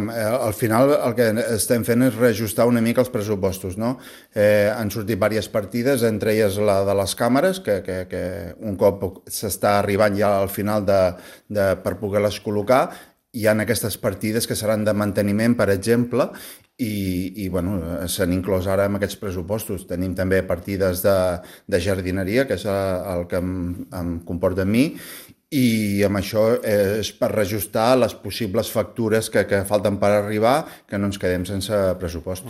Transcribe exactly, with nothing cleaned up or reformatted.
al final el que estem fent és reajustar una mica els pressupostos, no? Eh, han sortit diverses partides, entre elles la de les càmeres, que, que, que un cop s'està arribant ja al final de, de, per poder-les col·locar, hi ha aquestes partides que seran de manteniment, per exemple, i, i bueno, s'han inclòs ara en aquests pressupostos. Tenim també partides de, de jardineria, que és el que em, em comporta a mi, i amb això és per reajustar les possibles factures que, que falten per arribar, que no ens quedem sense pressupost.